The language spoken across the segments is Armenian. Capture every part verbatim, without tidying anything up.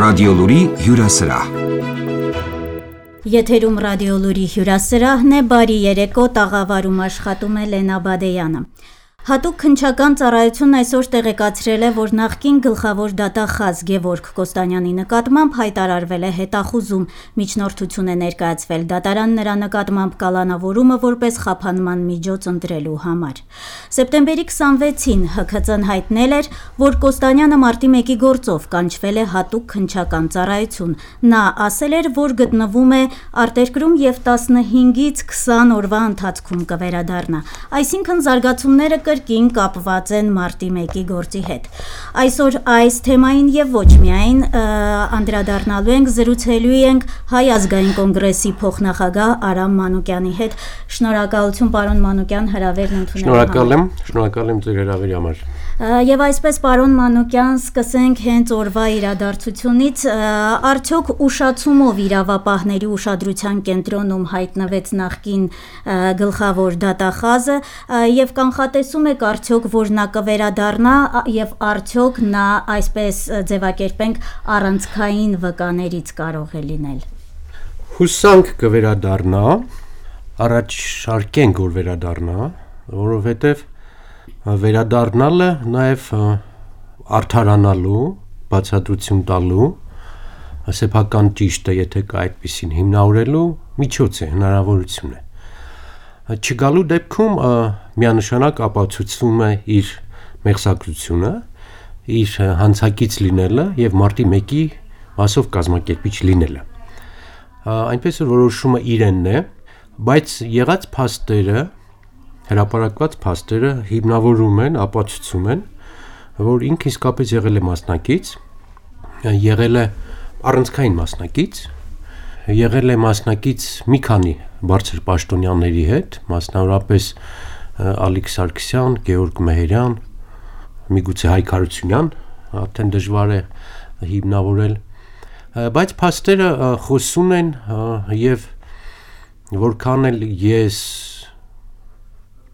Ռադիոլուրի հյուրասրահ։ Եթերում ռադիոլուրի հյուրասրահն է, բարի երեկո, տաղավարում աշխատում է Լենա Բադեյանը։ Հատուկ քննչական ծառայությունն այսօր տեղեկացրել է, որ նախկին գլխավոր դատախազ Գևորգ Կոստանյանի նկատմամբ հայտարարվել է հետախուզում, միջնորդություն է ներկայացվել դատարան նրա նկատմամբ կալանավորումը որպես խափանման միջոց ընտրելու համար։ Սեպտեմբերի քսանվեցին Հ K Ծ-ն հայտնել էր, որ Կոստանյանը մարտի մեկի գործով կանչվել է հատուկ քննչական ծառայություն։ Նա ասել էր, որ գտնվում է արտերկրում եւ տասնհինգից քսան օրվա ընթացքում կվերադառնա։ Այսինքն զարգացումները կրկին կապված են մարտի մեկի գործի հետ։ Այսօր այս թեմային եւ ոչ միայն անդրադառնալու ենք, զրուցելու ենք Հայ ազգային կոնգրեսի փոխնախագահ Արամ Մանուկյանի հետ։ Շնորհակալություն, պարոն Մանուկյան, հրավերն ընդունելու համար։ Շնորհակալ եմ, շնորհակալ եմ ձեր հրավերի համար։ Եվ այսպես, պարոն Մանուկյան, սկսենք հենց օրվա իրադարձությունից, արդյոք ուշացումով իրավապահների ուշադրության կենտրոնում հայտնվեց նախկին գլխավոր դատախազը եւ կանխատեսում եք արդյոք, որ նա կվերադառնա եւ արդյոք նա, այսպես ձևակերպենք, առանցքային վկաներից կարող է լինել։ Հուսանք կվերադառնա, առաջարկենք, որ վերադառնա, որովհետեւ վերադառնալը նաև արդարանալու, բացատրություն տալու, սեփական ճիշտը, եթե կա այդպիսին հիմնավորելու միջոց է, հնարավորություն է։ Չգալու դեպքում միանշանակ ապացուցվում է իր մեղսակրությունը, իր հանցակից լինելը եւ մարտի մեկի մասով կազմակերպիչ լինելը։ Այնպես որ որոշումը իրենն է, բայց եղած փաստերը հրապարակված փաստերը հիմնավորում են, ապացուցում են, որ ինքը իսկապես եղել է մասնակից, եղել է առանցքային մասնակից, եղել է մասնակից մի քանի բարձր պաշտոնյաների հետ, մասնավորապես Ալիկ Սարգսյան, Գեորգ Մեհերյան, միգուցե Հայկ Հարությունյան, արդեն դժվար է հիմնավորել, բայց փաստերը խոսում են եւ որքան էլ ես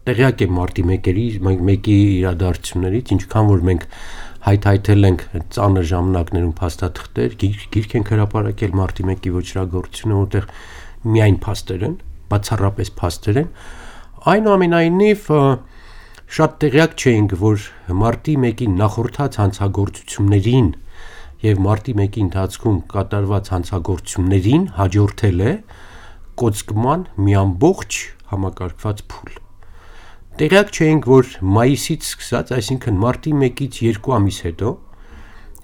տեղյակ եմ մարտի մեկի իրադարձություններից, ինչքան որ մենք հայթայթել ենք ծանր ժամանակներում փաստաթղթեր, գիրք ենք հրապարակել մարտի մեկի ոչրագործությունը, որտեղ միայն փաստեր են, բացառապես փաստեր են, այնուամենայնիվ շատ տեղյակ չէինք, որ մարտի մեկի նախորդած հանցագործություններին եւ մարտի մեկի ընթացքում կատարված հանցագործություններին հաջորդել է կոծկման մի ամբողջ համակարգված փուլ։ Տեղյակ չէինք, որ մայիսից սկսած, այսինքն մարտի մեկից երկու ամիս հետո,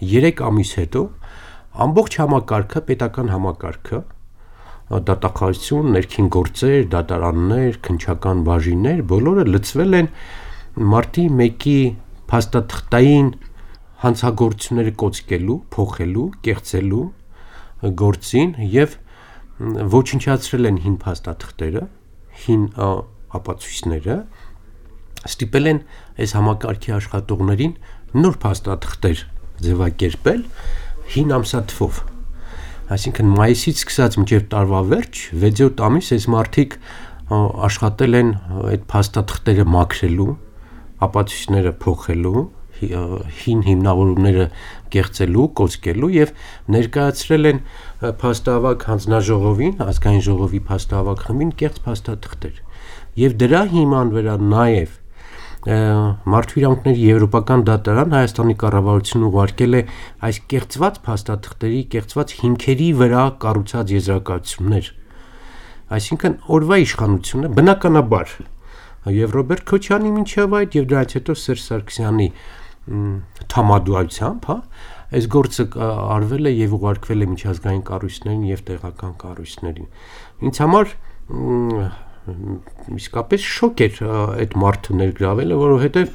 երեք ամիս հետո, ամբողջ համակարգը, պետական համակարգը, դատախազություն, ներքին գործեր, դատարաններ, քննչական բաժիններ, բոլորը լցվել են մարտի մեկի փաստաթղթային հանցագործությունները կոծկելու, փոխելու, կեղծելու գործին եւ ոչնչացրել են հին փաստաթղթերը, հին ապացույցները, ստիպել են այս համակարգի աշխատողներին նոր փաստաթղթեր ձևակերպել հին ամսաթվով։ Այսինքն մայիսից սկսած մինչև տարվա վերջ, վեց-յոթ ամիս այս մարդիկ աշխատել են այդ փաստաթղթերը մաքրելու, ապացույցները փոխելու, հին հիմնավորումները կեղծելու, կոծկելու եւ ներկայացրել են փաստահավաք հանձնաժողովին, ազգային ժողովի փաստահավաք խմբին կեղծ փաստաթղթեր։ Եվ դրա հիման վրա նաեւ Մարդու իրավունքների եվրոպական դատարան Հայաստանի կառավարությունը ուղարկել է այս կեղծված փաստաթղթերի, կեղծված հիմքերի վրա կառուցած եզրակացություններ։ Այսինքն օրվա իշխանությունը բնականաբար եւ Ռոբերտ Քոչյանի մինչեւ այդ եւ դրանից հետո Սերժ Սարգսյանի թամադուայությամբ, հա, այս գործը արվել է եւ ուղարկվել է միջազգային կառույցներին եւ տեղական կառույցներին։ Ինձ համար իսկապես շոկ էր այդ մարդը ներգրավելը, որովհետև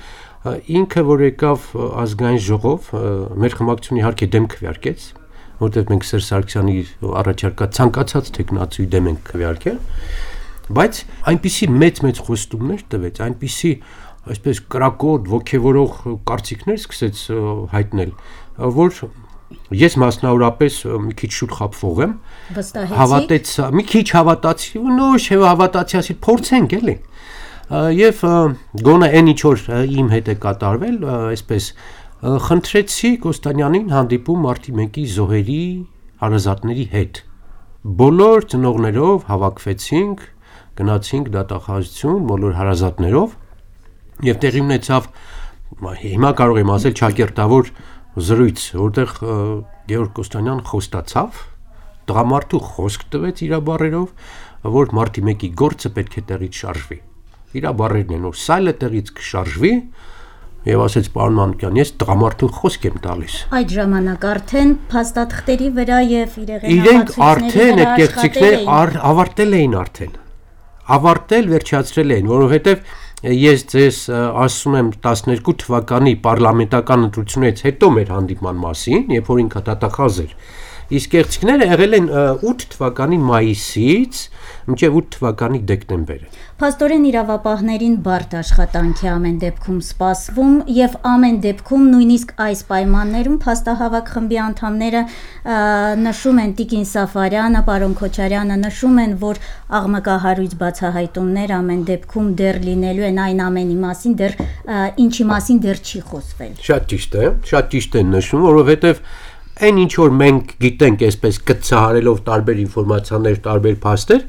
ինքը որ եկավ ազգային ժողով, մեր խմբակցությունը իհարկե դեմ քվեարկեց, որովհետև մենք Սերժ Սարգսյանի առաջարկած ցանկացած տեխնացուի դեմ ենք քվեարկել, բայց այնպիսի մեծ-մեծ խոստումներ տվեց, այնպիսի այսպես կրակոտ, ոգևորող կարծիքներ սկսեց հայտնել, որ ես մասնավորապես մի քիչ շուտ խաբվող եմ, հավատեց, մի քիչ հավատացի, նույն չէ հավատացի, ասի փորձենք էլի։ Եվ գոնե այն ինչ որ իմ հետ է կատարվել, այսպես խնդրեցի Կոստանյանին հանդիպում մարտի մեկի զոհերի հարազատների հետ։ Բոլոր ծնողներով հավաքվեցինք, գնացինք դատախազություն բոլոր հարազատներով եւ տեղի ունեցավ, հիմա կարող եմ ասել ճակերտավոր զրույց, որտեղ Գեորգ Կոստանյան խոստացավ, տղամարդու խոսք տվեց իր բառերով, որ մարտի մեկի գործը պետք է տեղից շարժվի։ Իր բառերն են, որ սայլը տեղից կշարժվի եւ ասեց պարոն Մանուկյան, ես տղամարդու խոսք եմ տալիս։ Այդ ժամանակ արդեն փաստաթղթերի վրա եւ իրենք արդեն այդ կեղծիքները ավարտել էին արդեն։ Ավարտել, վերջացրել էին, որովհետեւ ես ձեզ ասում եմ տասներկու թվականի պարլամենտական ընտրությունից հետո մեր հանդիպման մասին, երբ որ ինքը դատախազ էր, իսկ կեղծիքները եղել են ութ թվականի մայիսից մինչև ութ թվականի դեկտեմբերը։ Փաստորեն իրավապահներին բարդ աշխատանք է ամեն դեպքում սպասվում եւ ամեն դեպքում նույնիսկ այս պայմաններում փաստահավաք խմբի անդամները նշում են Տիկին Սաֆարյանը, պարոն Քոչարյանը նշում են, որ աղմկահարույց բացահայտումներ ամեն դեպքում դեռ լինելու են այն ամենի մասին, դեռ ինչի մասին դեռ չի խոսվել։ Շատ ճիշտ է, շատ ճիշտ են նշում, որովհետեւ այն ինչ որ մենք գիտենք այսպես կցահարելով տարբեր ինֆորմացիաներ, տարբեր փաստեր,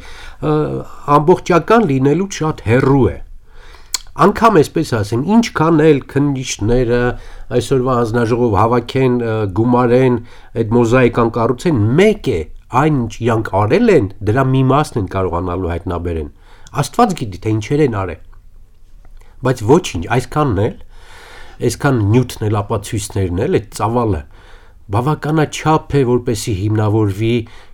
ամբողջական լինելու շատ հեռու է։ Անկամ այսպես ասեմ, ինչքան էլ քննիչները այսօրվա հանձնաժողով հավաքեն, գումարեն, այդ մոզաիկան կառուցեն, մեկ է, այն ինչ իրանք արել են, դրա մի մասն են կարողանալու հայտնաբերեն։ Աստված գիտի, թե ինչեր են արել։ Բայց ոչինչ, այսքանն էլ, այսքան նյութն էլ ապացույցներն էլ, այդ ծավալը բավականաչափ է, որպեսզի հիմնավորվի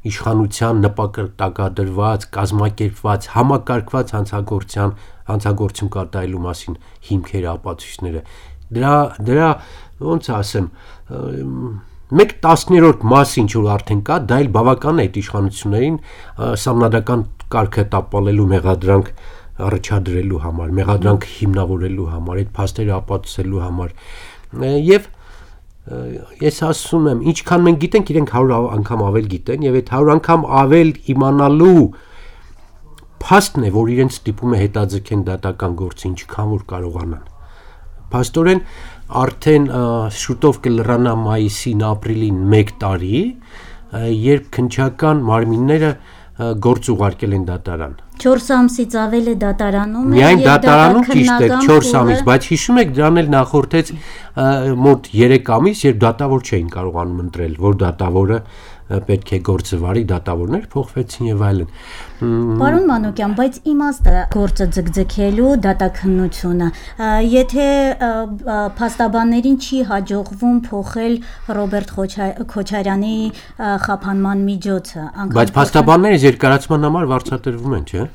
իշխանության նպատակադրված, կազմակերպված, համակարգված հանցագործության, հանցագործություն կատարելու մասին հիմքերը, ապացույցները։ Դրա դրա ոնց ասեմ, մեկ տասներորդ մաս ինչ որ արդեն կա, դա էլ բավական է այդ իշխանություններին սահմանադրական կարգը տապալելու մեղադրանք առաջադրելու համար, մեղադրանք հիմնավորելու համար, այդ փաստերը ապացուցելու համար։ Եվ ես ասում եմ, ինչքան մենք գիտենք, իրենք հարյուր անգամ ավել գիտեն եւ այդ հարյուր անգամ ավել իմանալու փաստն է, որ իրենց ստիպում է հետաձգեն դատական գործը, ինչքան որ կարողանան։ Փաստորեն արդեն շուտով կլրանա մայիսին, ապրիլին մեկ տարի, երբ քննչական մարմինները գործ ուղարկել են դատարան։ չորս ամսից ավել է դատարանում է։ Միայն դատարանում ճիշտ է չորս ամիս, բայց հիշում եք դրան էլ նախորդեց մոտ երեք ամիս, երբ դատավոր չէին կարողանում ընտրել, որ դատավորը պետք է գործը վարի, դատավորներ փոխվեցին եւ այլն։ Պարոն Մանուկյան, բայց իմաստը գործը ձգձգելու դատաքննությունը, եթե փաստաբաններին չի հաջողվում փոխել Ռոբերտ Քոչարյանի խափանման միջոցը, բայց փաստաբանները երկարացման համար վարձատրվում են, չէ՞։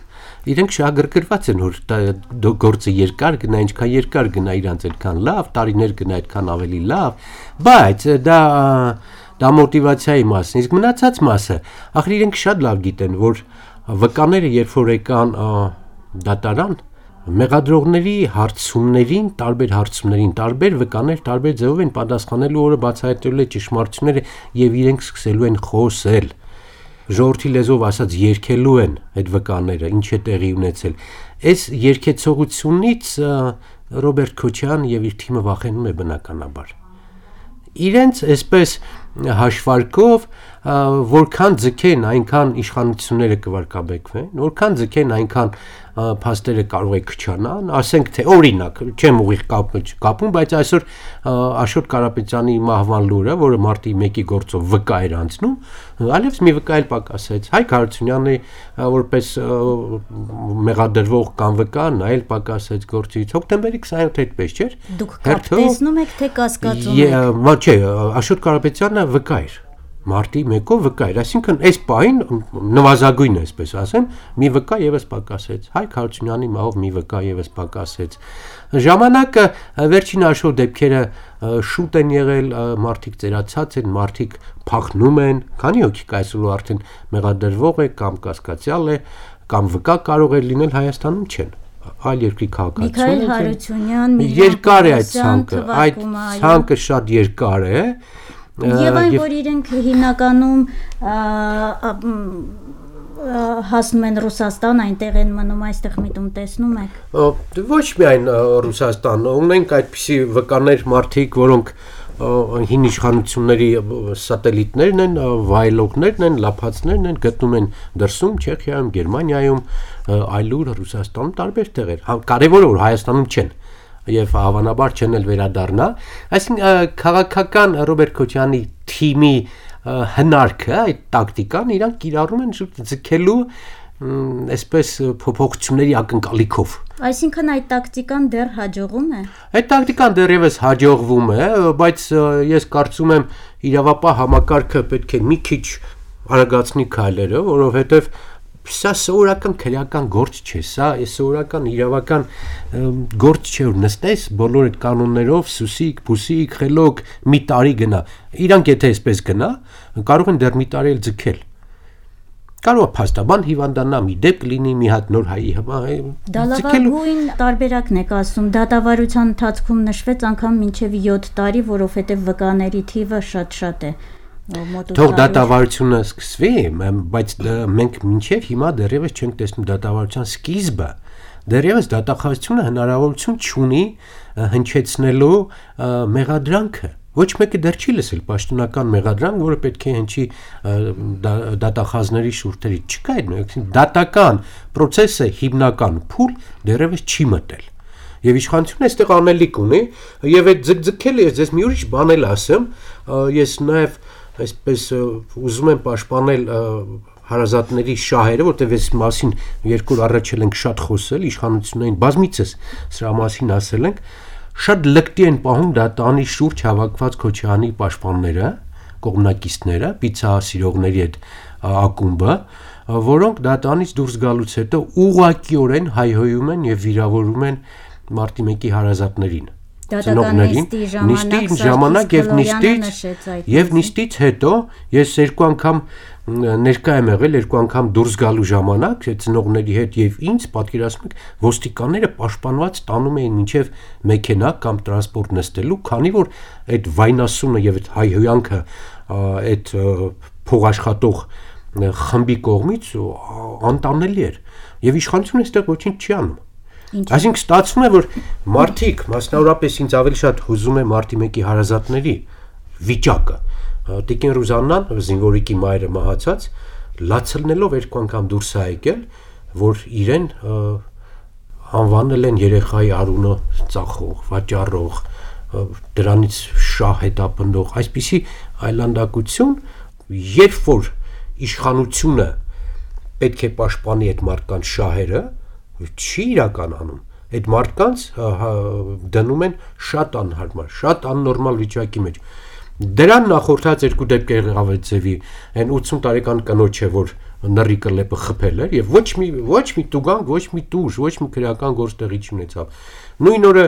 Իրենք շահագրգռված են, որ գործը երկար գնա, ինչքան երկար գնա, իրանց այդքան լավ, տարիներ գնա, այդքան ավելի լավ, բայց դա դա մոտիվացիայի մասն, իսկ մնացած մասը, ախր իրենք շատ լավ գիտեն, որ վկաները երբ որ եկան դատարան, մեղադրողների հարցումներին, տարբեր հարցումներին, տարբեր վկաներ, տարբեր ձևով են պատասխանելու, որը բացահայտելու է ճշմարտությունները եւ իրենք սկսելու են խոսել։ Ժողովրդի լեզվով ասած երգելու են այդ վկաները, ինչ է տեղի ունեցել։ Այս երգեցողությունից Ռոբերտ Քոչարյանը եւ իր թիմը վախենում է բնականաբար։ Իրենց այսպես հաշվարկով որքան ձգեն, այնքան իշխանությունները կվարկաբեկվեն, որքան ձգեն, այնքան փաստերը կարող է քչանան, ասենք թե օրինակ, չեմ ուղիղ կապում, բայց այսօր Աշոտ Կարապետյանի մահվան լուրը, որը մարտի մեկի գործով վկա էր անցնում, այլևս մի վկա էլ պակասեց, Հայկ Հարությունյանը որպես մեղադրվող կամ վկա, նա էլ պակասեց գործից, հոկտեմբերի քսանյոթ այդպես չէր։ Դուք տեսնում եք, թե կասկածում եք։ Չէ, Աշոտ Կարապետյանը վկա էր, մարտի մեկով վկա էր, այսինքն այս պահին նվազագույնը, այսպես ասեմ, մի վկա եւս պակասեց, Հայկ Հարությունյանի մահով մի վկա եւս պակասեց։ Ժամանակը վերջին աշխով դեպքերը շուտ են եղել, մարդիկ ծերացած են, մարդիկ փախնում են, քանի հոգի կա այսօր արդեն մեղադրվող է կամ կասկածյալ է, կամ վկա կարող է լինել, Հայաստանում չեն, այլ երկրի քաղաքացիություն։ Միքայել Հարությունյան, երկար է այդ ցանկը, այդ ցանկը շատ երկար է։ Եվ այն, որ իրենք հիմնականում հասնում են Ռուսաստան, այնտեղ են մնում, այստեղ միտում տեսնում եք։ Ոչ միայն Ռուսաստան, ունենք այդպիսի վկաներ մարդիկ, որոնք հին իշխանությունների սատելիտներն են, վայելողներն են, լափածներն են, գտնում են դրսում, Չեխիայում, Գերմանիայում, այլուր Ռուսաստանում տարբեր տեղեր։ Կարևորը որ Հայաստանում չեն եւ հավանաբար չեն էլ վերադառնա, այսինքն քաղաքական Ռոբերտ Քոչարյանի թիմի հնարքը, այդ տակտիկան իրանք կիրառում են ձգելու այսպես փոփոխությունների ակնկալիքով։ Այսինքն այդ տակտիկան դեռ հաջողում է։ Այդ տակտիկան դեռևս հաջողվում է, բայց ես կարծում եմ իրավապահ համակարգը պետք է մի քիչ արագացնի քայլերը, որովհետեւ սա սովորական քրեական գործ չէ, սա սովորական իրավական գործ չէ, որ նստես բոլոր այդ կանոններով, սուսիկ, փուսիկ, խելոք, մի տարի գնա։ Իրանք եթե այսպես գնա, կարող են դեռ մի տարի էլ ձգել։ Կարող է փաստաբան հիվանդանա, մի դեպք լինի, մի հատ նոր հայի Դալավագույն տարբերակն եք ասում, դատավարության ընթացքում նշվեց անգամ մինչև յոթ տարի, որովհետև վկաների թիվը շատ-շատ է։ Թող դատավարությունը սկսվի, բայց մենք մինչև հիմա դեռևս չենք տեսնում դատավարության սկիզբը, դեռևս դատախազությունը հնարավորություն չունի հնչեցնելու մեղադրանքը։ Ոչ մեկը դեռ չի լսել պաշտոնական մեղադրանք, որը պետք է հնչի դատախազների շուրթերից։ Չկա այդ դատական process-ը հիմնական փուլ դեռևս չի մտել։ Եվ իշխանությունը այստեղ անելիք ունի, եւ այդ ձգձգել ես ես մի ուրիշ բան էլ ասեմ, ես նաեւ այսպես ուզում եմ պաշտպանել հարազատների շահերը, որտեղ այս մասին երկու օր առաջ ենք շատ խոսել, իշխանություններին բազմիցս սրա մասին ասել ենք, շատ լկտի են պահում դատանի շուրջ հավաքված Քոչարյանի պաշտպանները, կողմնակիցները, պիցահասիրողների այդ ակումբը, որոնք դատանից դուրս գալուց հետո ուղղակիորեն հայհոյում են եւ վիրավորում են մարտի մեկի հարազատներին։ Նիստի ժամանակ եւ նիստից եւ նիստից հետո ես երկու անգամ ներկա եմ եղել, երկու անգամ դուրս գալու ժամանակ ծնողների հետ եւ ինձ պատկերացնում եք ոստիկանները պաշտպանված տանում էին մինչեւ մեքենա կամ տրանսպորտ նստելու, քանի որ այդ վայնասունը եւ այդ հայհոյանքը այդ փողաշխատող խմբի կողմից անտանելի էր եւ իշխանությունը այստեղ ոչինչ չի անում։ Այսինքն ստացվում է որ մարդիկ, մասնավորապես ինձ ավելի շատ հուզում է մարտի մեկի հարազատների վիճակը։ Տիկին Ռուզաննան, զինվորիկի մայրը մահացած, լացելնելով երկու անգամ դուրս է եկել, որ իրեն անվանել են երեխայի արունը ծախող, վաճառող, դրանից շահ հետապնդող, այսպիսի այլանդակություն, երբ որ իշխանությունը պետք է պաշտպանի այդ մարդկանց շահերը, չի իրականանում, այդ մարդկանց դնում են շատ անհարմար, շատ աննորմալ վիճակի մեջ։ Դրան նախորդած երկու դեպք եղավ այդ ձևի, այն ութսուն տարեկան կնոջը, որ նռի կլեպը խփել էր եւ ոչ մի ոչ մի տուգանք, ոչ մի տուժ, ոչ մի քրեական գործ տեղի չունեցավ։ Նույն օրը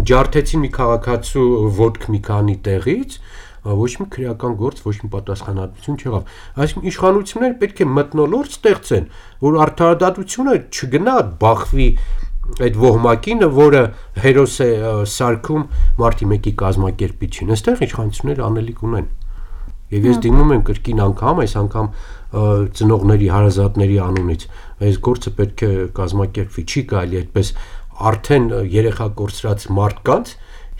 ջարդեցին մի քաղաքացու ոդկ մի քանի տեղից, ոչ մի քրեական գործ, ոչ մի պատասխանատվություն չեղավ։ Այսինքն իշխանությունները պետք է մթնոլորտ ստեղծեն, որ արդարադատությունը չգնա բախվի այդ ոհմակին, որը հերոս է սարքում մարտի մեկի կազմակերպիչին։ Այստեղ իշխանությունները անելիք ունեն։ Եվ ես դիմում եմ կրկին անգամ, այս անգամ ծնողների, հարազատների անունից, այս գործը պետք է կազմակերպվի, չի կարելի այդպես արդեն երեխա կորցրած մարդկանց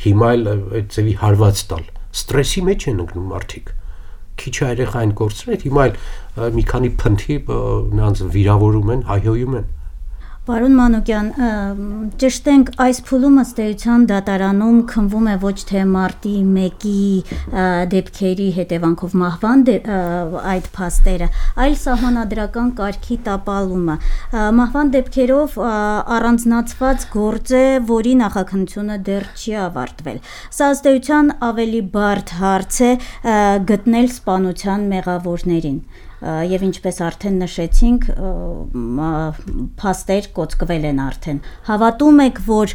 հիմա էլ այդ ձևի հարված տալ։ Ստրեսի մեջ են ընկնում մարդիկ։ Քիչ երեխային կորցրել, հիմա էլ մի քանի փնթի նրանց վիրավորում են, հայհոյում են։ Պարոն Մանուկյան, ճշտենք այս փուլում ըստ էության դատարանում քննվում է ոչ թե մարտի մեկի դեպքերի հետևանքով մահվան այդ փաստերը, այլ սահմանադրական կարգի տապալումը։ Մահվան դեպքերով առանձնացված գործ է, որի նախաքննությունը դեռ չի ավարտվել։ Սա ըստ էության ավելի բարդ հարց է գտնել սպանության մեղավորներին։ Եվ ինչպես արդեն նշեցինք, փաստեր կոծկվել են արդեն։ Հավատում եք, որ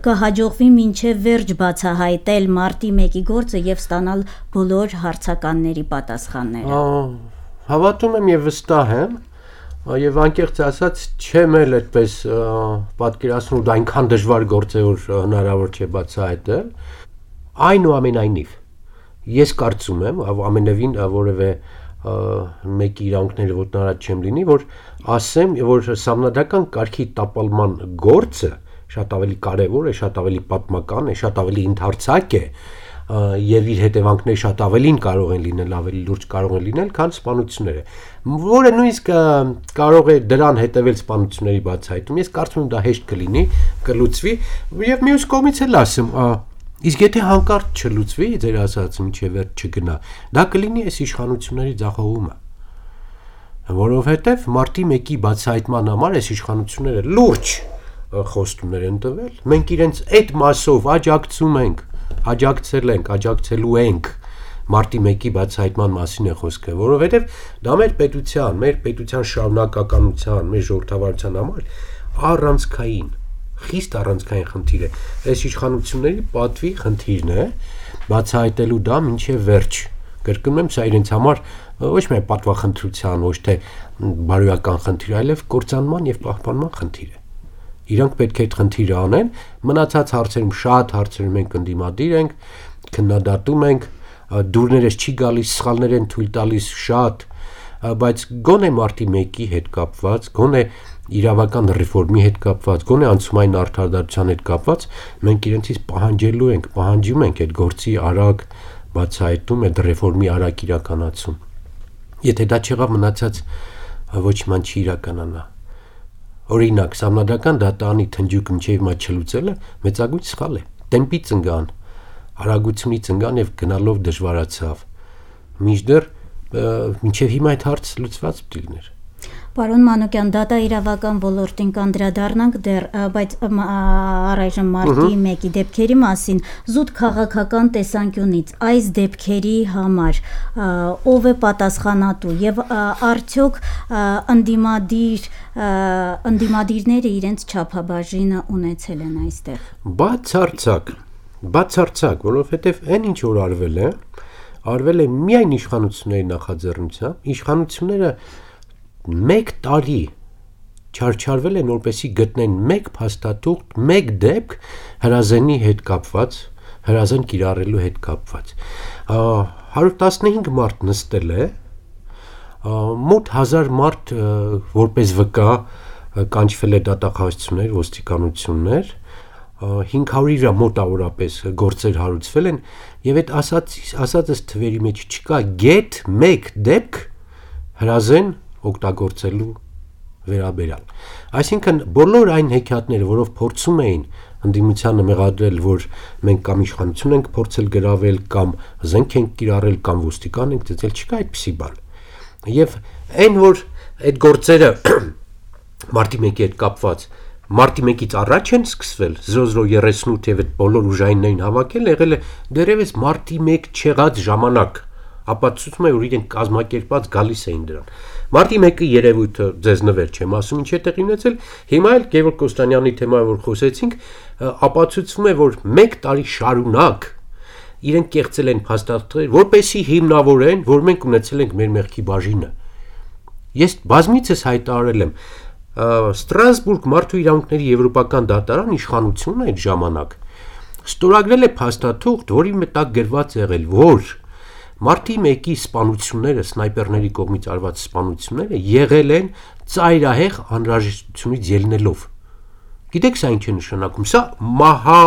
կհաջողվի մինչև վերջ բացահայտել մարտի մեկի գործը եւ ստանալ բոլոր հարցականների պատասխանները։ Հավատում եմ եւ վստահ եմ, եւ անկեղծ ասած չեմ էլ այդպես պատկերացնում, դա այնքան դժվար գործ է, որ հնարավոր չէ բացահայտել։ Այնուամենայնիվ ես կարծում եմ, ամենևին որևէ մեկի իրավունքները ոտնարած չեմ լինի, որ ասեմ, որ սահմանադրական կարգի տապալման գործը շատ ավելի կարևոր է, շատ ավելի պատմական է, շատ ավելի ընդհանրացակ է եւ իր հետևանքները շատ ավելին կարող են լինել, ավելի լուրջ կարող են լինել, քան սպանությունները, որը նույնիսկ կարող է դրան հետևել սպանությունների բացահայտում։ Ես կարծում եմ դա հեշտ կլինի, կլուծվի եւ մյուս կողմից էլ ասեմ, իսկ եթե հանկարծ չլուծվի, ձեր ասածը մինչեւ վերջ չգնա, դա կլինի այս իշխանությունների ձախողումը, որովհետեւ մարտի մեկի բացահայտման համար այս իշխանությունները լուրջ խոստումներ են տվել, մենք իրենց այդ մասով աջակցում ենք, աջակցել ենք, աջակցելու ենք մարտի մեկի բացահայտման մասին է խոսքը, որովհետև դա մեր պետության, մեր պետության շարունակականության, մեր ժողովրդավարության համար առանցքային, խիստ առանցքային խնդիր է, այս իշխանությունների պատվի խնդիրն է, բացահայտելու դա մինչև վերջ, կրկնում եմ, սա իրենց համար ոչ միայն պատվախնդրության, ոչ թե բարոյական խնդիր, այլև կործանման եւ պահպանման խնդիր է։ Իրանք պետք է այդ խնդիրը անեն, մնացած հարցերում շատ հարցերում ենք ընդդիմադիր ենք, քննադատում ենք, դուրներս չի գալիս, սխալներ են թույլ տալիս շատ, բայց գոնե մարտի մեկի հետ կապված, գոնե իրավական ռեֆորմի հետ կապված, գոնե անցումային արդարադատության հետ կապված, մենք իրենցից պահանջելու ենք, պահանջում ենք այդ գործի արագ բացահայտում, այդ ռեֆորմի արագ իրականացում։ Եթե դա չեղավ, մնացած ոչ ման չի իրականանա։ Օրինակ, սահմանադրական դատարանի թնջուկը մինչև հիմա չլուծելը մեծագույն սխալ է։ Տեմպի ծնգան, արագությունի ծնգան եւ գնալով դժվարացավ։ Մինչդեռ մինչև հիմա այդ հարցը լուծված պետք է լիներ։ Պարոն Մանուկյան, դատա իրավական ոլորտին կանդրադառնանք դեռ, բայց առայժմ մարտի մեկի դեպքերի մասին զուտ քաղաքական տեսանկյունից այս դեպքերի համար ով է պատասխանատու եւ արդյոք ընդդիմադիր ընդդիմադիրները իրենց չափաբաժինը ունեցել են այստեղ։ Բացարձակ, բացարձակ, որովհետեւ այն ինչ որ արվել է, արվել է միայն իշխանությունների նախաձեռնությամբ, իշխանությունները մեկ տարի չարչարվել են, որպեսի գտնեն մեկ փաստաթուղթ, մեկ դեպք հրազենի հետ կապված, հրազեն կիրառելու հետ կապված։ հարյուր տասնհինգ մարդ նստել է, մոտ հազար մարդ որպես վկա կանչվել է դատախազություններ, ոստիկանություններ, հինգ հարյուրը մոտավորապես գործեր հարուցվել են եւ այդ ասած ասածս թվերի մեջ չկա գեթ մեկ դեպք հրազեն օգտագործելու վերաբերյալ։ Այսինքն բոլոր այն հեքիաթները, որով փորձում էին ընդդիմությանը մեղադրել, որ մենք կամ իշխանություն ենք փորձել գրավել, կամ զենք ենք կիրառել, կամ ոստիկան ենք ծեծել, չկա այդպիսի բան։ Եվ այն որ այդ գործերը մարտի մեկի հետ կապված մարտի մեկից առաջ են սկսվել զրո զրո երեսունութ եւ այդ բոլոր ուժայիններին հավաքել, եղել է դեռևս մարտի մեկ չեղած ժամանակ, ապացուցում է, որ իրենք կազմակերպած գալիս էին դրան։ Մարտի մեկի երևույթը ձեզ նվեր չեմ ասում, ինչ է տեղի ունեցել, հիմա էլ Գևորգ Կոստանյանի թեմայով որ խոսեցինք, ապացուցվում է, որ մեկ տարի շարունակ իրենք կեղծել են փաստաթղթեր, որպեսզի հիմնավորեն, որ մենք ունեցել ենք մեր մեղքի բաժինը։ Ես բազմիցս հայտարարել եմ, Ստրասբուրգ մարդու իրավունքների եվրոպական դատարան իշխանությունը այդ ժամանակ ստորագրել է փաստաթուղթ, որի մտակ գրված եղել, որ մարտի մեկի սպանությունները, սնայպերների կողմից արված սպանությունները եղել են ծայրահեղ անհրաժեշտությունից ելնելով։ Գիտեք սա ինչ է նշանակում, սա մահա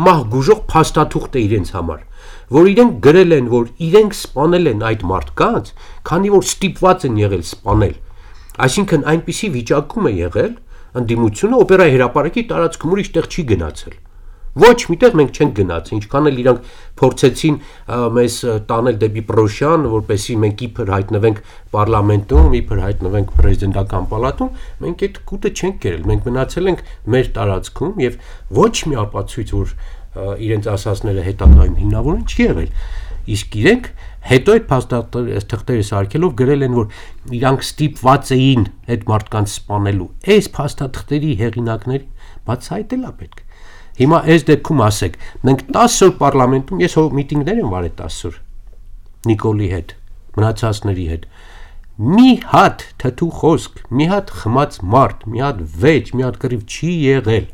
մահ գուժող փաստաթուղթ է իրենց համար, որ իրենք գրել են, որ իրենք սպանել են այդ մարդկանց, քանի որ ստիպված են եղել սպանել։ Այսինքն այնպիսի վիճակում է եղել ընդդիմությունը օպերայի հրապարակի տարածքում ուրիշ տեղ չի գնացել։ Ոչ միտեղ մենք չենք գնացել, ինչքան էլ իրանք փորձեցին մեզ տանել դեպի Պրոշյան, որպեսզի մենք իբր հայտնվենք պարլամենտում, իբր հայտնվենք պրեզիդենտական պալատում, մենք այդ կուտը չենք կերել, մենք մնացել ենք մեր տարածքում եւ ոչ մի ապացույց, որ իրենց ասածները հետագայում հիմնավորեն չի եղել։ Իսկ իրենք հետո այդ փաստաթղթերը սարքելով գրել են, որ իրանք ստիպված էին այդ մարդկանց սպանելու։ Այս փաստաթղթերի հեղինակների բացահայտել է պետք։ Հիմա այս դեպքում ասեք, մենք տասը օր պարլամենտում, ես հո միտինգներ եմ վարել տասը օր Նիկոլի հետ, մնացածների հետ, մի հատ թթու խոսք, մի հատ խմած մարդ, մի հատ վեճ, մի հատ կռիվ չի եղել։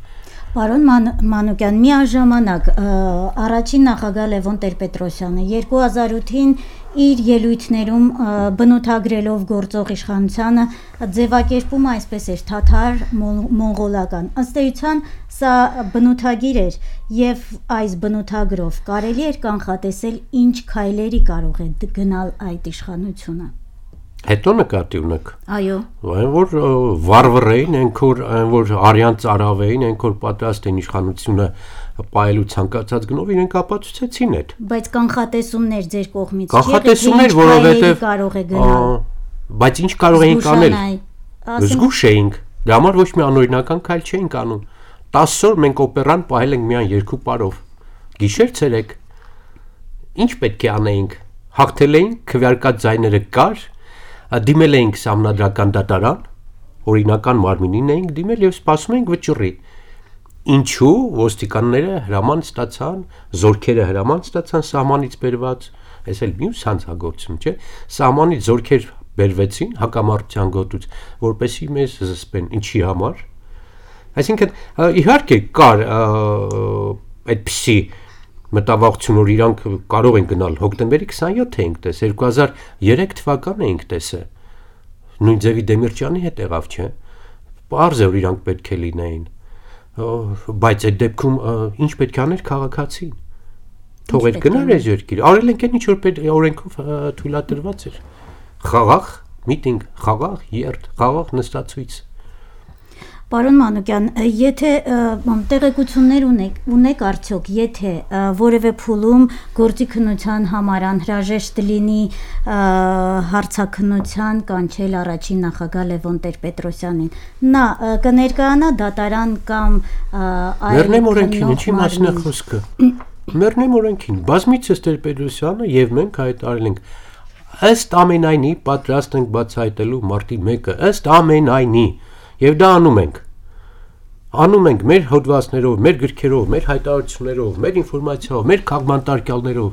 Պարոն Մանուկյան, միաժամանակ առաջին նախագահ Լևոն Տեր-Պետրոսյանը երկու հազար ութին իր ելույթներում բնութագրելով գործող իշխանությանը ձևակերպում այսպես էր թաթար մոնղոլական։ Ըստ էության սա բնութագիր էր եւ այս բնութագրով կարելի էր կանխատեսել ինչ քայլերի կարող է գնալ այդ իշխանությունը։ Հետո նկատի ունեք։ Այո։ Այն որ վարվռեին, այնք որ այն որ արյան ծարավեին, այնք որ պատրաստ են իշխանությունը պայելու ցանկացած գնով իրենք ապացուցեցին այդ։ Բայց կանխատեսումներ ձեր կողմից կանխատեսումներ, որովհետև կարող է գնալ։ Բայց ինչ կարող էինք անել։ Զգուշ էինք։ Դրա համար ոչ մի անօրինական քայլ չէինք անում։ տասը օր մենք օպերան պահել ենք միայն երկու պարով։ Գիշեր ցերեկ։ Ինչ պետք է անեինք։ Հաղթել էինք, քվեարկած ձայները կար, դիմել էինք սահմանադրական դատարան, օրինական մարմինին էինք դիմել եւ սպասում էինք վճռի։ Ինչու ոստիկանները հրաման ստացան, զորքերը հրաման ստացան սահմանից բերված, այս էլ մյուս հանցագործություն չէ, սահմանից զորքեր բերվեցին հակամարտության գոտուց, որպեսզի մեզ զսպեն, ինչի համար։ Այսինքն իհարկե կար այդպիսի մտավախություն, որ իրանք կարող են գնալ հոկտեմբերի քսանյոթը էինք տես, երկու հազար երեք թվականը էինք տեսը, նույն ձևի Դեմիրճյանի հետ եղավ, չէ, պարզ է, որ իրանք պետք է լինեին, բայց այդ դեպքում ինչ պետք է աներ քաղաքացին, թողեր գնար այս երկիր, արել ենք այն ինչ որ օրենքով թույլատրված էր, խաղաղ միտինգ, խաղաղ երթ, խաղաղ նստացույց։ Պարոն Մանուկյան, եթե տեղեկություններ ունեք, ունեք արդյոք, եթե որևէ փուլում գործի քննության համար անհրաժեշտ լինի հարցաքննության կանչել առաջին նախագահ Լևոն Տեր-Պետրոսյանին, նա կներկայանա դատարան կամ Մեռնեմ օրենքին, ինչի մասին է խոսքը։ Մեռնեմ օրենքին, բազմիցս Տեր-Պետրոսյանը եւ մենք հայտարարել ենք ըստ ամենայնի պատրաստ ենք բացահայտելու մարտի մեկը, ըստ ամենայնի Եվ դա անում ենք, անում ենք մեր հոդվածներով, մեր գրքերով, մեր հայտարարություններով, մեր ինֆորմացիայով, մեր քաղաքմարտարկյալներով,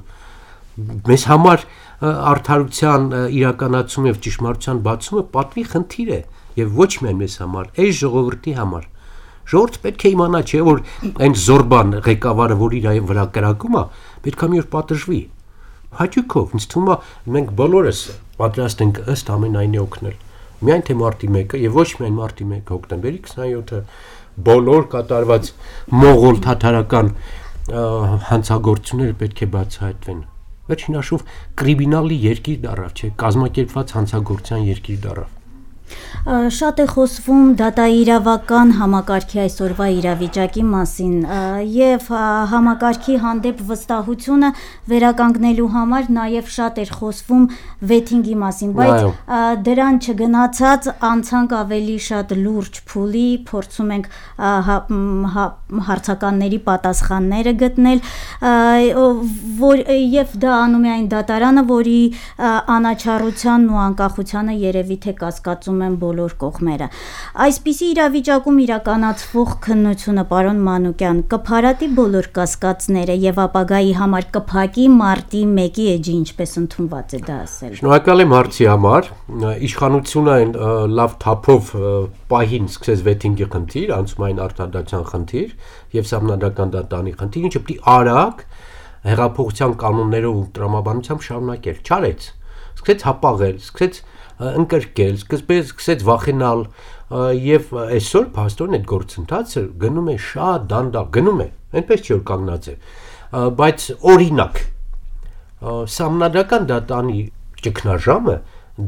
մեզ համար արդարության իրականացում եւ ճշմարտության բացումը պատվի խնդիր է եւ ոչ միայն մեզ համար, այս ժողովրդի համար։ Ժողովուրդը պետք է իմանա, չէ՞ որ այն զորբան ղեկավարը, որ իր վրա կրակում է, պետք է մի օր պատժվի։ Հաճույքով, ինձ թվում է մենք բոլորս պատրաստ ենք ըստ ամենայնի օգնել։ Միայն թե մարտի մեկը եւ ոչ միայն մարտի մեկը հոկտեմբերի քսանյոթը բոլոր կատարված մողոլ թաթարական հանցագործությունները պետք է բացահայտվեն։ Վերջին հաշվով կրիմինալի երկիր դառավ, չէ, կազմակերպված հանցագործության երկիր դառավ։ Շատ է խոսվում դատաիրավական համակարգի այսօրվա իրավիճակի մասին եւ համակարգի հանդեպ վստահությունը վերականգնելու համար նաեւ շատ էր խոսվում վեթինգի մասին, բայց դրան չգնացած անցանք ավելի շատ լուրջ փուլի, փորձում ենք հարցականների պատասխանները գտնել որ եւ դա անում է այն դատարանը, որի անաչառությանն ու անկախությանը երևի թե կասկածում են բոլոր կողմերը։ Այսպիսի իրավիճակում իրականացվող քննությունը, պարոն Մանուկյան, կփարատի բոլոր կասկածները եւ ապագայի համար կփակի մարտի մեկի էջի, ինչպես ընդունված է դա ասել։ Շնորհակալ եմ հարցի համար։ Իշխանությունը այն լավ թափով պահին սկսեց վեթինգի խնդիր, անցումային արտադրության խնդիր եւ սահմանադրական դատարանի խնդիր, ինչը պիտի արագ հեղափոխության կանոններով ու տրամաբանությամբ շարունակել, չարեց։ Սկսեց հապաղել, սկսեց ընկրկել, սկսեց սկսեց վախենալ եւ այսօր փաստորեն այդ գործընթացը գնում է շատ դանդաղ, գնում է, այնպես չի որ կանգնած է, բայց օրինակ սահմանադրական դատարանի ճգնաժամը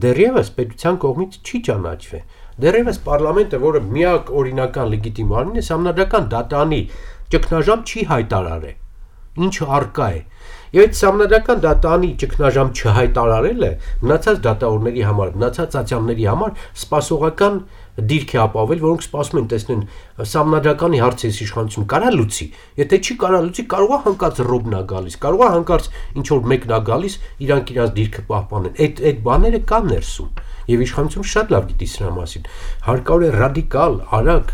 դեռևս պետության կողմից չի ճանաչվել։ Դեռևս պարլամենտը, որը միակ օրինական լեգիտիմ մարմինն է, սահմանադրական դատարանի ճգնաժամ չի հայտարարել, ինչը առկա է։ Եվ այդ սահմանադրական դատարանի ճգնաժամ չհայտարարելը մնացած դատավորների համար, մնացած ատյանների համար սպասողական դիրք է ապավել, որոնք սպասում են տեսնեն սահմանադրականի հարցերից իշխանություն կարա լուծի, եթե չի կարա լուծի, կարող է հանկարծ ռոբն է գալիս, կարող է հանկարծ ինչ որ մեկն է գալիս, իրանք իրանց դիրքը պահպանեն։ Այդ այդ բաները կան ներսում, եւ իշխանությունը շատ լավ գիտի սրա մասին։ Հարկավոր է ռադիկալ, արագ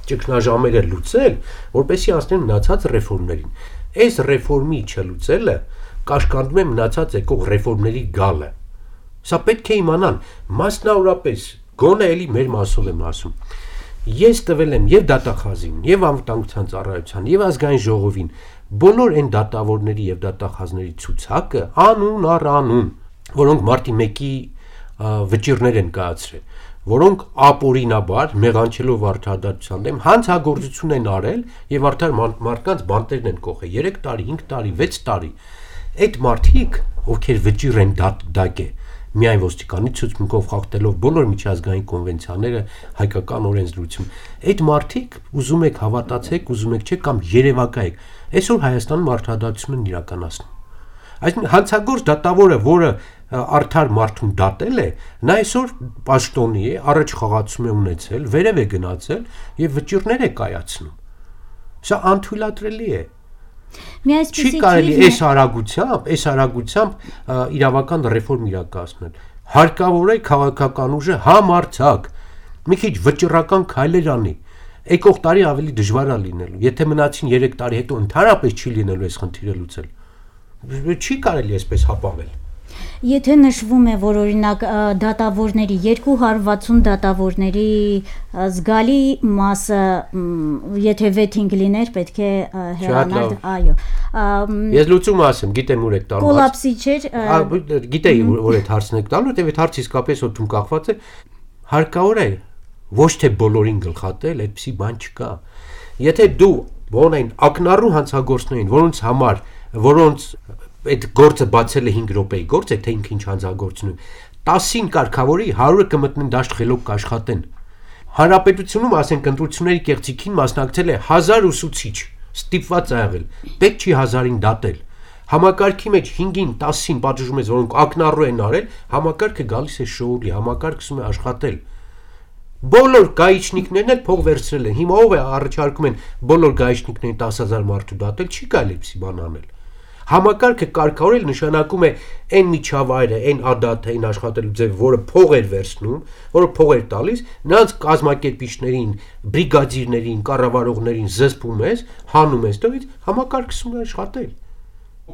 ճգնաժամերը լուծել, որպեսզի անցնեն մնացած ռեֆորմներին։ Այս ռեֆորմի չլուծելը կաշկանդում է մնացած եկող ռեֆորմների գալը։ Սա պետք է իմանան, մասնավորապես, գոնե էլի մեր մասով եմ ասում։ Ես տվել եմ եւ դատախազին, եւ անվտանգության ծառայության, եւ ազգային ժողովին բոլոր այն դատավորների եւ դատախազների ցուցակը անուն առ անուն, որոնք մարտի մեկի վճիրներ են կայացրել, որոնք ապօրինաբար մեղանչելով արդարադատության դեմ հանցագործություն են արել եւ արդար մարդկանց բանտերն են կողել երեք տարի, հինգ տարի, վեց տարի։ Այդ մարդիկ, ովքեր վճիռ են դատակ է, միայն ոստիկանի ցուցմունքով խախտելով բոլոր միջազգային կոնվենցիաները, հայկական օրենսդրություն, այդ մարդիկ ուզում եք հավատացեք, ուզում եք չէ կամ երևակայեք, այսօր Հայաստանում արդարադատություն են իրականացնում։ Այսինքն հանցագործ դատավորը, որը արդար մարդուն դատել է, նա այսօր պաշտոնի է, առաջ խաղացում է ունեցել, վերև է գնացել եւ վճիրներ է կայացնում։ Սա անթույլատրելի է։ Չի կարելի այս արագությամբ, այս արագությամբ իրավական ռեֆորմ իրականացնել։ Հարկավոր է քաղաքական ուժը համարձակ մի քիչ վճռական քայլեր անի։ Եկող տարի ավելի դժվար է լինելու։ Եթե մնացին երեք տարի հետո ընդհանրապես չի լինելու այս խնդիրը լուծել։ Չի կարելի այսպես հապավել։ Եթե նշվում է, որ օրինակ դատավորների երկու հարյուր վաթսուն դատավորների զգալի մասը, եթե վեթինգ լիներ, պետք է հեռանալ, այո։ Ես լուծում ասեմ, գիտեմ ուր եք տալու։ Կոլապսի չէր։ Գիտեի, որ այդ հարցն եք տալու, որտեղ այդ հարցը իսկապես օդում կախված է, հարկավոր է ոչ թե բոլորին գլխատել, այդպիսի բան չկա։ Եթե դու բոնային ակնառու հանցագործներին, որոնց համար, որոնց այդ գործը բացել է հինգ րոպեի գործ է, թե ինքը ինչ հանցագործություն է, տասին կարգավորի հարյուրը կմտնեն դաշտ խելոք կաշխատեն։ Հանրապետությունում, ասենք, ընտրությունների կեղծիքին մասնակցել է հազար ուսուցիչ, ստիպված է եղել, պետք չի հազարին դատել։ Համակարգի մեջ հինգին, տասին պատժում ես, որոնք ակնառու են արել, համակարգը գալիս է շոուի, համակարգը սկսում է աշխատել։ Բոլոր գայիչնիկներն էլ փող վերցրել են։ Հիմա ով է առաջարկում են բոլոր գայիչնիկներին տասը հազար մարդու դատել, չի կարելի այդպիսի բան անել։ Համակարգը կարգավորել նշանակում է այն միջավայրը, այն ադաթը, այն աշխատելու ձև, որը փող էր վերցնում, որը փող էր տալիս, նրանց կազմակերպիչներին, բրիգադիրներին, կառավարողներին զսպում ես, հանում ես դրանից, համակարգը սկսում է աշխատել։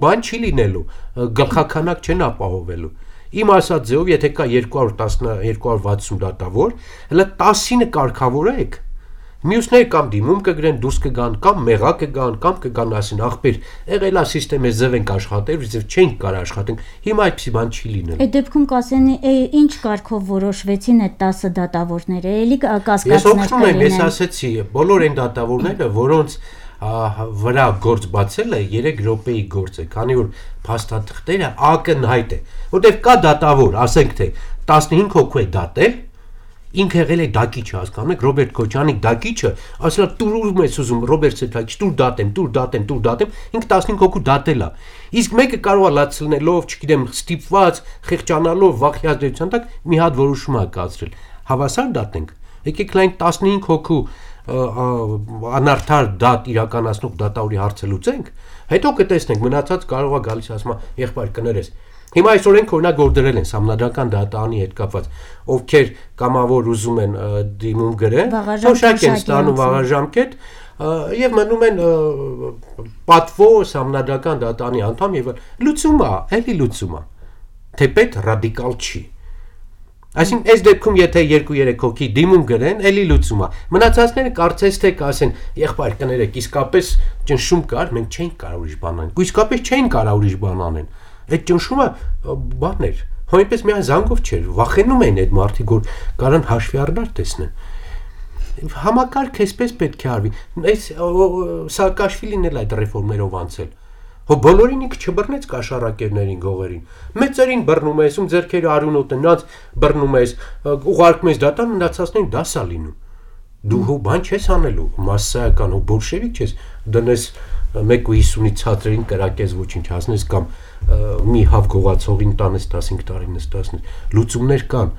Բան չի լինելու, գլխականակ չեն ապահովելու։ Իմ ասած ձեով, եթե կա երկու հարյուր վաթսուն դատավոր, հələ տասինը կարգավորեք։ Մյուսները կամ դիմում կգրեն, դուրս կգան, կամ մեղա կգան, կամ կգան ասին ախպեր, եղել է սիստեմը ձև ենք աշխատել, ձև չենք կարող աշխատենք։ Հիմա այդպիսի բան չի լինել։ Այդ դեպքում կասեն, ինչ կարգով որոշվեցին այդ տասը դատավորները, էլի կասկածներ կլինեն։ Ես օգնում եմ, ես ասեցի, բոլոր այն դատավորները, որոնց վրա գործ բացել է երեք րոպեի գործ է, քանի որ փաստաթղթերը ակնհայտ է, որտեղ կա դատավոր, ասենք թե տասնհինգ հոգու է դատել, ինքը եղել է դակիչը, հասկանում եք, Ռոբերտ Քոչյանի դակիչը, ասել է տուրում ես ուզում Ռոբերտ Սեթակի, տուր դատեմ, տուր դատեմ, տուր դատեմ, ինքը տասնհինգ հոգու դատել է։ Իսկ մեկը կարող է լացնելով, չգիտեմ, ստիպված, խեղճանալով, վախի ազդեցության տակ մի հատ որոշում է կայացրել։ Հավասար դատենք։ Եկեք լայն տասնհինգ հոգու անարդար դատ իրականացնող դատավորի հարցը լուծենք, հետո կտեսնենք, մնացած կարող է գալիս ասում եղբայր կներես։ Հիմա այս օրենք օրինակ գործել են համնadrական դատարանի հետ կապված, ովքեր կամավոր ուզում են դիմում գրեն, թոշակ են ստանում վաղաժամկետ եւ մնում են պատվո համնadrական դատարանի անդամ եւ լուծում է, էլի լուծում է։ Թեպետ ռադիկալ չի։ Այսինքն այս դեպքում եթե երկու երեք հոգի դիմում գրեն, էլի լուծում է։ Մնացածները կարծես թե կասեն, եղբայր կներեք, իսկապես ճնշում կար, մենք չենք կարող ուրիշ բան անել։ Ու իսկապես չեն կարող ուրիշ բան անել։ Այդ ճնշումը բան էր։ Հոյպես միայն զանգով չէր, վախենում էին այդ մարդիկ, որ կարան հաշվի առնար տեսնեն։ Համակարգ էսպես պետք է արվի։ Այս Սաակաշվիլին էլ այդ ռեֆորմերով անցել։ Հո բոլորին ինքը չբռնեց կաշառակերներին, գողերին։ Մեծերին բռնում ես, ում ձեռքերը արյունոտ են, նրանց բռնում ես, ուղարկում ես դատան, մնացածներին դաս է լինում։ Դու հո բան չես անելու, մասսայական, հո բոլշևիկ չես, դնես մեկ ու հիսունից ցածրին կրակես ոչինչ հասնես կամ մի հավ գողացողին տանես տասնհինգ տարի նստացնես։ Լուծումներ կան,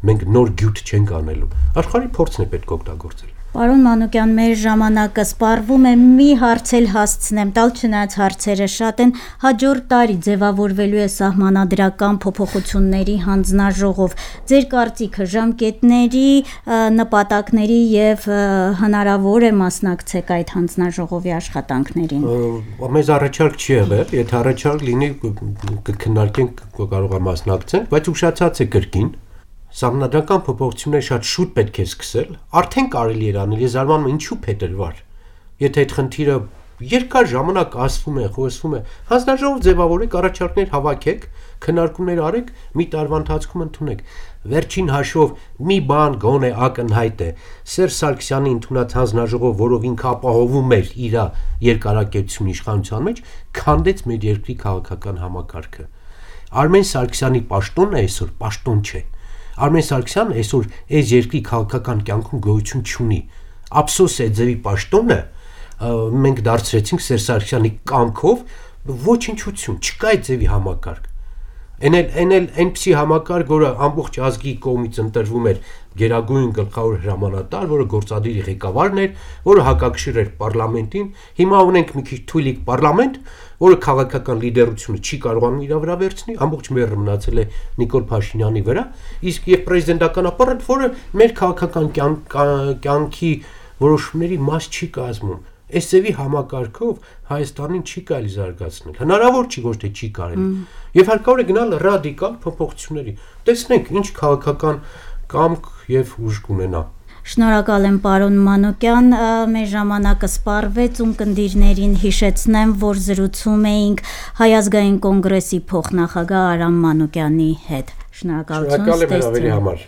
մենք նոր գյուտ չենք անելու։ Աշխարհի փորձն է պետք օգտագործել։ Պարոն Մանուկյան, մեր ժամանակը սպառվում է, մի հարց էլ հասցնեմ, տալ չնայած հարցերը շատ են, հաջորդ տարի ձևավորվելու է սահմանադրական փոփոխությունների հանձնաժողով։ Ձեր կարծիքը ժամկետների, նպատակների եւ հնարավոր է մասնակցեք այդ հանձնաժողովի աշխատանքներին։ Մեզ առաջարկ չի եղել, եթե առաջարկ լինի կքննարկենք, կարող է մասնակցենք, բայց ուշացած է կրկին։ Սահմանադրական փոփոխությունները շատ շուտ պետք է սկսել, արդեն կարելի էր անել, ես զարմանում եմ ինչու փետրվար։ Եթե այդ խնդիրը երկար ժամանակ ասվում է, խոսվում է, հանձնաժողով ձևավորեք, առաջարկներ հավաքեք, քննարկումներ արեք, մի տարվա ընթացքում ընդունեք։ Վերջին հաշվով մի բան գոնե ակնհայտ է։ Սերժ Սարգսյանի ընդունած հանձնաժողով, որով ինքը ապահովում էր իր երկարակեցություն իշխանության մեջ, քանդեց մեր երկրի քաղաքական համակարգը։ Արմեն Սարգսյանի պաշտոնն է այսօր, պաշտոն չէ։ Արմեն Սարգսյանը այսօր այս երկրի քաղաքական կյանքում գոյություն չունի։ Ափսոս է ձևի պաշտոնը մենք դարձրեցինք Սերժ Սարգսյանի կամքով ոչնչություն, չկա այդ ձևի համակարգ։ Այն էլ այն էլ այնպիսի համակարգ, որը ամբողջ ազգի կողմից ընտրվում էր գերագույն գլխավոր հրամանատար, որը գործադիր ղեկավարն էր, որը հակակշիռ էր պարլամենտին։ Հիմա ունենք մի քիչ թույլիկ պարլամենտ, որը քաղաքական լիդերությունը չի կարողանում իր վրա վերցնել, ամբողջ մեղրը մնացել է Նիկոլ Փաշինյանի վրա, իսկ եւ պրեզիդենտական ապարատ, որը մեր քաղաքական կյանքի որոշումների մաս չի կազմում։ Այս ձևի համակարգով Հայաստանին չի կարելի զարգացնել։ Հնարավոր չի, ոչ թե չի կարելի։ Եվ հարկավոր է գնալ ռադիկալ փոփոխությունների։ Տեսնենք ինչ քաղաքական կամք եւ ուժ կունենա։ Շնորհակալ եմ պարոն Մանուկյան, մեր ժամանակը սպառվեց, ունկնդիրներին հիշեցնեմ, որ զրուցում էինք Հայ ազգային կոնգրեսի փոխնախագահ Արամ Մանուկյանի հետ։ Շնորհակալություն ստեղծելու համար։